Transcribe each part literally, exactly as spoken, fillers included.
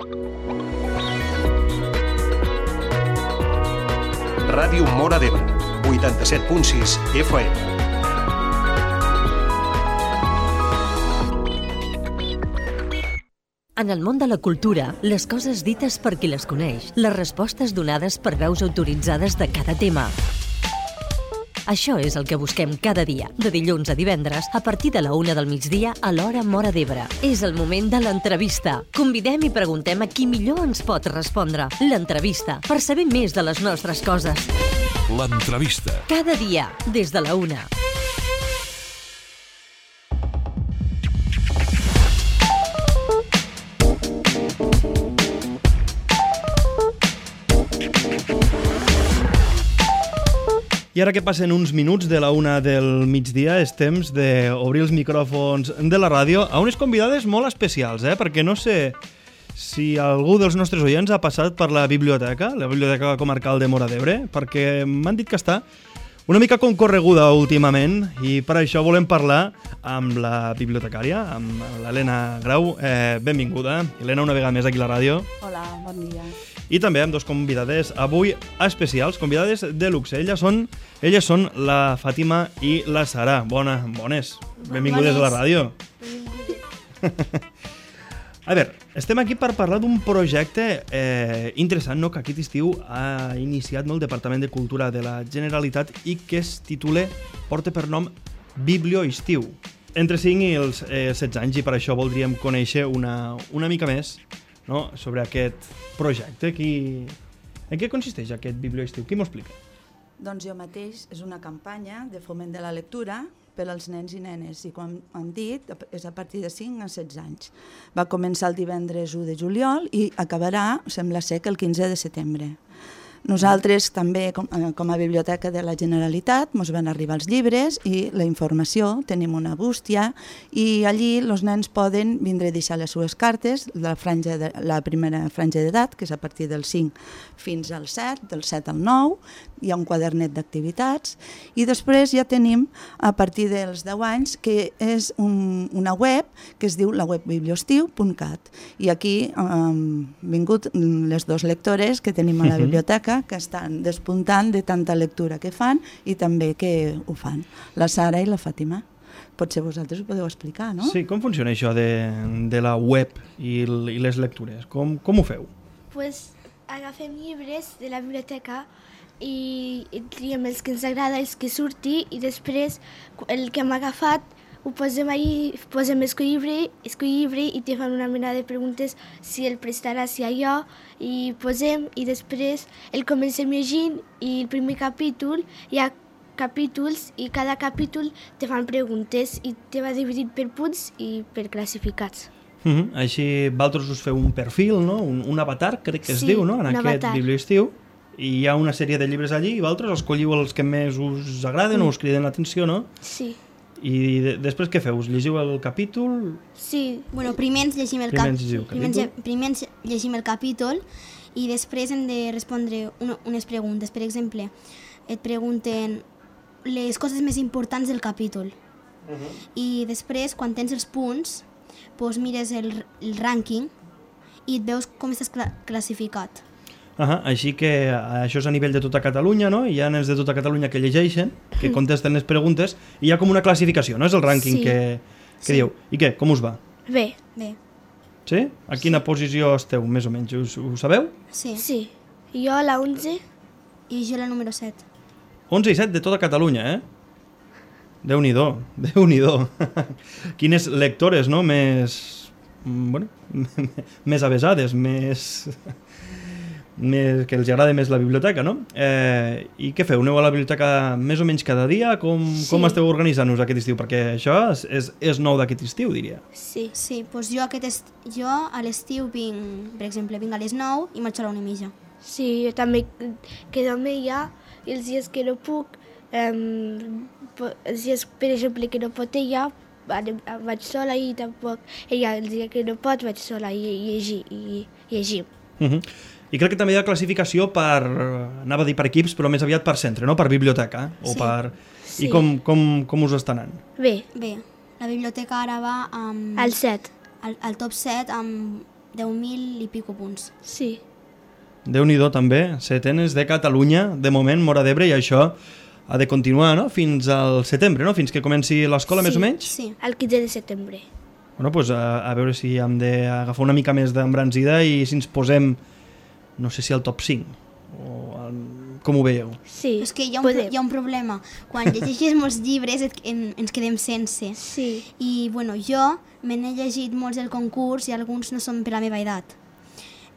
Ràdio Móra d'Ebre, vuitanta-set punt sis F M. En el món de la cultura, les coses dites per qui les coneix, les respostes donades per veus autoritzades de cada tema. Això és el que busquem cada dia, de dilluns a divendres, a partir de la una del migdia a l'hora Móra d'Ebre. És el moment de l'entrevista. Convidem i preguntem a qui millor ens pot respondre. L'entrevista, per saber més de les nostres coses. L'entrevista. Cada dia, des de la una. I ara que passen uns minuts de la una del migdia, és temps d'obrir els micròfons de la ràdio a unes convidades molt especials, eh? Perquè no sé si algú dels nostres oients ha passat per la biblioteca, la Biblioteca Comarcal de Móra d'Ebre, perquè m'han dit que està una mica concorreguda últimament i per això volem parlar amb la bibliotecària, amb l'Helena Grau. Eh, benvinguda. Helena, una vegada més aquí a la ràdio. Hola, bon dia. I també amb dos convidades avui especials, convidades de luxe. Elles són, elles són la Fàtima i la Sara. Bona, bones. Benvingudes a la ràdio. Benvingudes. A veure, estem aquí per parlar d'un projecte eh, interessant, no?, que aquest estiu ha iniciat, no?, el Departament de Cultura de la Generalitat i que es titula, porta per nom Biblioestiu. Entre cinc i els eh, setze anys, i per això voldríem conèixer una, una mica més, no?, sobre aquest projecte. Qui... En què consisteix aquest Biblioestiu? Qui m'ho explica? Doncs jo mateix, és una campanya de foment de la lectura per als nens i nenes, i com han dit, és a partir de cinc a setze anys. Va començar el divendres u de juliol i acabarà, sembla ser, que el quinze de setembre. Nosaltres també, com, com a Biblioteca de la Generalitat, ens van arribar els llibres i la informació, tenim una bústia, i allí els nens poden vindre a deixar les seves cartes, la, franja de, la primera franja d'edat, que és a partir del cinc fins al set, del set al nou, hi ha un quadernet d'activitats, i després ja tenim, a partir dels deu anys, que és un, una web que es diu la web biblioestiu punt cat, i aquí han eh, vingut les dues lectores que tenim a la biblioteca, que estan despuntant de tanta lectura que fan i també que ho fan, la Sara i la Fàtima. Potser vosaltres ho podeu explicar, no? Sí, com funciona això de, de la web i, i les lectures? Com, com ho feu? Pues agafem llibres de la biblioteca i, i triem els que ens agrada, els que surti, i després el que hem agafat ho posem ahí, posem escoll llibre, escoll llibre i te fan una mena de preguntes si el prestaràs, si allò, i posem, i després el comencem llegint, i el primer capítol hi ha capítols i cada capítol te fan preguntes i te va dividit per punts i per classificats. Mm-hmm. Així vosaltres us feu un perfil, no? un, un avatar, crec que es sí, diu, no? En aquest avatar. Biblioestiu, i hi ha una sèrie de llibres allí i vosaltres escolliu els que més us agraden mm. o us criden l'atenció, no? Sí. I de, després què feu? Us llegiu el capítol? Sí. Bueno, primer ens llegim el, primer cap... ens primer, ens... primer ens llegim el capítol i després hem de respondre una, unes preguntes. Per exemple, et pregunten les coses més importants del capítol. Uh-huh. I després, quan tens els punts, doncs mires el, el rànquing i et veus com estàs cla- classificat. Uh-huh. Així que això és a nivell de tota Catalunya, no? Hi ha nens de tota Catalunya que llegeixen, que contesten les preguntes, i hi ha com una classificació, no? És el rànquing sí. que, que sí. dieu. I què? Com us va? Bé. Bé. Sí? A quina sí. posició esteu, més o menys? Us, ho sabeu? Sí. Sí. Jo a la onze. I jo a la número set. onze i set de tota Catalunya, eh? Déu-n'hi-do, Déu-n'hi-do. Quines lectores, no? Més... Bueno, més avesades, més... més, que els agrada més la biblioteca, no? Eh, I què feu? Aneu a la biblioteca més o menys cada dia? Com, sí. com esteu organitzant-vos aquest estiu? Perquè això és, és, és nou d'aquest estiu, diria. Sí, sí, doncs jo, aquest est... jo a l'estiu vinc, per exemple, vinc a les nou i marxo a la una i mitja. Sí, jo també quedo amb ella i els dies que no puc, um, els dies, per exemple, que no pot ella, vaig sola i tampoc ella els dies que no pot vaig sola i llegir i llegim. Uh-huh. I crec que també hi ha classificació per, anava a dir per equips, però més aviat per centre, no? Per biblioteca. O sí. per... Sí. I com, com, com us està anant? Bé. Bé, la biblioteca ara va amb... Al set. Al, al top set amb deu mil i pico punts. Sí. Déu-n'hi-do també, setenes de Catalunya, de moment, Móra d'Ebre, i això ha de continuar, no?, fins al setembre, no?, fins que comenci l'escola, sí, més o menys? Sí. El quinze de setembre. Bueno, doncs a, a veure si hem d'agafar una mica més d'embranzida i si ens posem, no sé si al top cinc, o al, com ho veieu? Sí, És que hi ha, un, podem. hi ha un problema. Quan llegeixes molts llibres et, en, ens quedem sense. Sí. I bueno, jo me n'he llegit molts del concurs i alguns no són per la meva edat.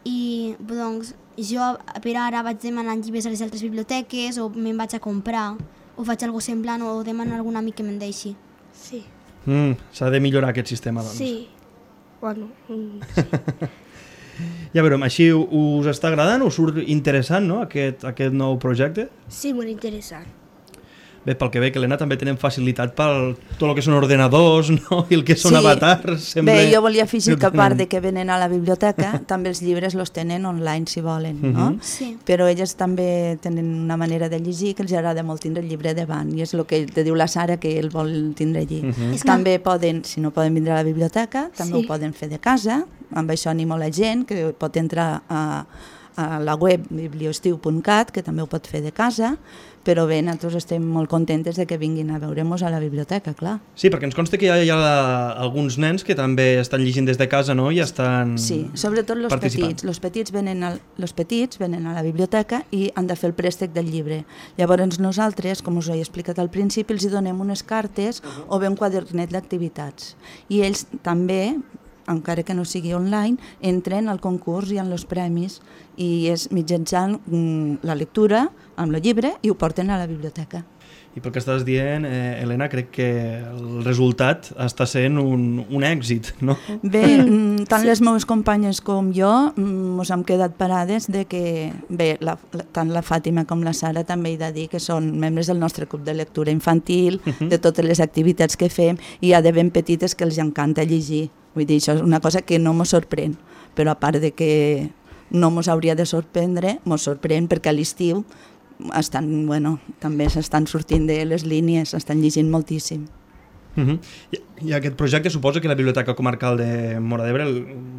I doncs jo per ara vaig demanant llibres a les altres biblioteques o me'n vaig a comprar o faig alguna semblant o demano a algun amic que me'n deixi. Sí. Mm, s'ha de millorar aquest sistema, doncs. Sí. Bueno, mm, sí. Ja veurem, així us està agradant? Us surt interessant, no?, aquest, aquest nou projecte? Sí, molt interessant. Bé, pel que veig, Helena, també tenen facilitat per tot el que són ordenadors, no?, i el que són Sí. avatars. Sembla... Bé, jo volia afegir que a part tenen- de que venen a la biblioteca, també els llibres los tenen online, si volen, no? Mhm. Sí. Però elles també tenen una manera de llegir que els agrada molt tindre el llibre davant, i és el que te diu la Sara, que ell vol tindre allí. Mhm. És que- També poden, si no poden vindre a la biblioteca, també Sí. ho poden fer de casa, amb això animo la gent, que pot entrar a, a la web bibliostiu punt cat, que també ho pot fer de casa, però bé, nosaltres estem molt contentes de que vinguin a veure-nos a la biblioteca, clar. Sí, perquè ens consta que hi ha, hi ha alguns nens que també estan llegint des de casa, no?, i estan Sí, sobretot els participant. petits. Els petits, venen al, los petits venen a la biblioteca i han de fer el préstec del llibre. Llavors nosaltres, com us he explicat al principi, els hi donem unes cartes o bé un quadernet d'activitats. I ells també, encara que no sigui online, entren al concurs i en els premis, i és mitjançant mm, la lectura amb el llibre i ho porten a la biblioteca. I pel que estàs dient, eh, Helena, crec que el resultat està sent un, un èxit, no? Bé, mm, tant sí. les meves companyes com jo mm, ens hem quedat parades de que, bé, la, la, tant la Fàtima com la Sara també he de dir que són membres del nostre club de lectura infantil, uh -huh. de totes les activitats que fem, i hi ha de ben petites que els encanta llegir. Vull dir, això és una cosa que no ens sorprèn, però a part de que no ens hauria de sorprendre, ens sorprèn perquè a l'estiu estan, bueno, també s'estan sortint de les línies, estan llegint moltíssim. Uh -huh. I, I aquest projecte suposa que la Biblioteca Comarcal de Móra d'Ebre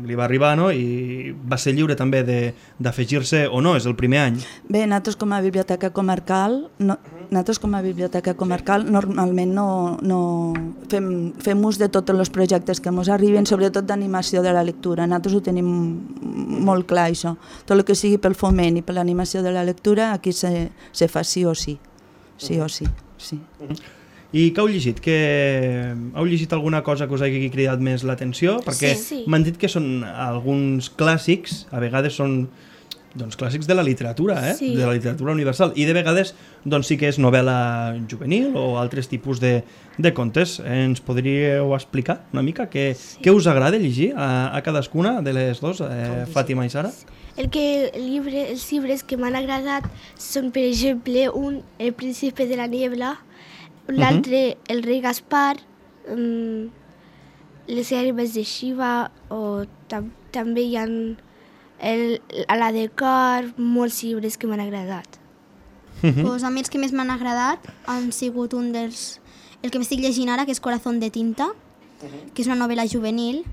li va arribar, no?, i va ser lliure també de, d'afegir-se o no, és el primer any. Bé, nosaltres com a biblioteca comarcal, no, nosaltres com a biblioteca comarcal normalment no, no fem, fem ús de tots els projectes que ens arriben, sobretot d'animació de la lectura. Nosaltres ho tenim molt clar, això. Tot el que sigui pel foment i per l'animació de la lectura, aquí se, se fa sí o sí. Sí o sí, sí. I què heu llegit? Que heu llegit alguna cosa que us hagi cridat més l'atenció? Perquè Sí, sí. m'han dit que són alguns clàssics, a vegades són doncs, clàssics de la literatura, eh? Sí. De la literatura universal, i de vegades doncs, sí que és novel·la juvenil o altres tipus de, de contes. Ens podríeu explicar una mica què, sí. què us agrada llegir a, a cadascuna de les dues, eh, Fàtima i Sara? El que el llibre, els llibres que m'han agradat són, per exemple, un El príncipe de la niebla, l'altre uh -huh. El rei Gaspar, um, Les herbes de Shiva, o tam també hi ha el, a la de cor, molts llibres que m'han agradat. Uh -huh. Pues a mi els que més m'han agradat han sigut un dels... El que m'estic llegint ara, que és Corazón de tinta, uh-huh. que és una novel·la juvenil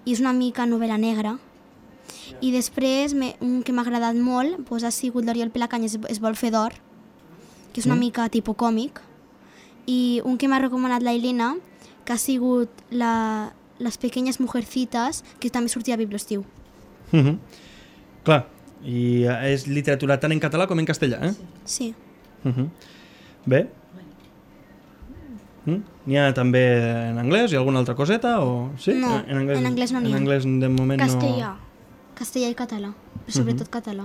i és una mica novel·la negra. I després, me, un que m'ha agradat molt pues, ha sigut l'Oriol Pelacanyes es, es vol fer d'or, que és una mm. mica tipus còmic. I un que m'ha recomanat la Helena, que ha sigut la, Les pequeñas mujercitas, que també sortia a Bibliostiu. Uh -huh. Clar, i és literatura tant en català com en castellà, eh? Sí. Uh -huh. Bé. Mm? N'hi ha també en anglès i alguna altra coseta? O... Sí? No, en anglès, en anglès no n'hi ha. En anglès de moment Castellà. no... Castellà i català, però sobretot uh -huh. català.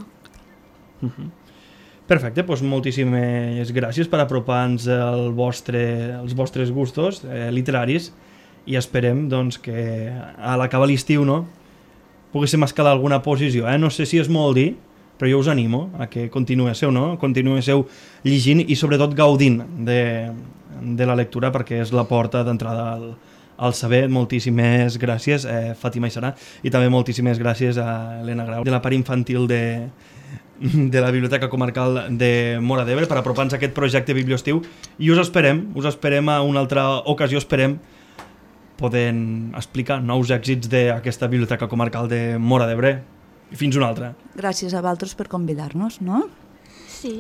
Uh -huh. Perfecte, doncs moltíssimes gràcies per apropar-nos el vostre, els vostres gustos eh, literaris, i esperem doncs, que a l'acabar l'estiu, no, poguéssim escalar alguna posició. Eh? No sé si és molt dir, però jo us animo a que continuéssiu, no? Continuéssiu llegint i sobretot gaudint de, de la lectura, perquè és la porta d'entrada al, al saber. Moltíssimes gràcies, eh, Fàtima i Sara, i també moltíssimes gràcies a Helena Grau, de la part infantil de, de la Biblioteca Comarcal de Móra d'Ebre, per apropar-nos a aquest projecte Bibliostiu, i us esperem, us esperem a una altra ocasió, esperem poden explicar nous èxits d'aquesta Biblioteca Comarcal de Móra d'Ebre. I fins una altra. Gràcies a vosaltres per convidar-nos, no? Sí.